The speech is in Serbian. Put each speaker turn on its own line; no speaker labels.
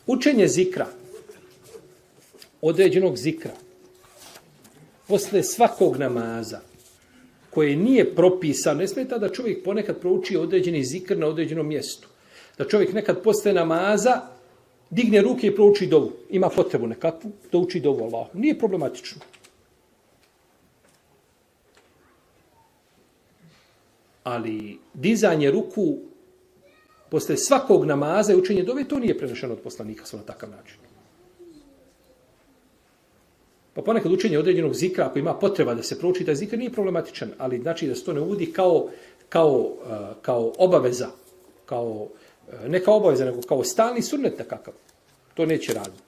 Učenje zikra, određenog zikra, posle svakog namaza, koje nije propisano, ne smeta da čovjek ponekad prouči određeni zikr na određenom mjestu. Da čovjek nekad posle namaza digne ruke i prouči dovu. Ima potrebu nekakvu da uči dovu Allahu. Nije problematično. Ali dizanje ruku posle svakog namaza i učenje dove, to nije prenešeno od poslanika na takav način. Pa ponekad učenje određenog zikra, ako ima potreba da se prouči taj zikr, nije problematičan, ali znači da se to ne uvodi kao obaveza, ne kao obaveza, nego kao stalni sunnet nekakav. To neće raditi.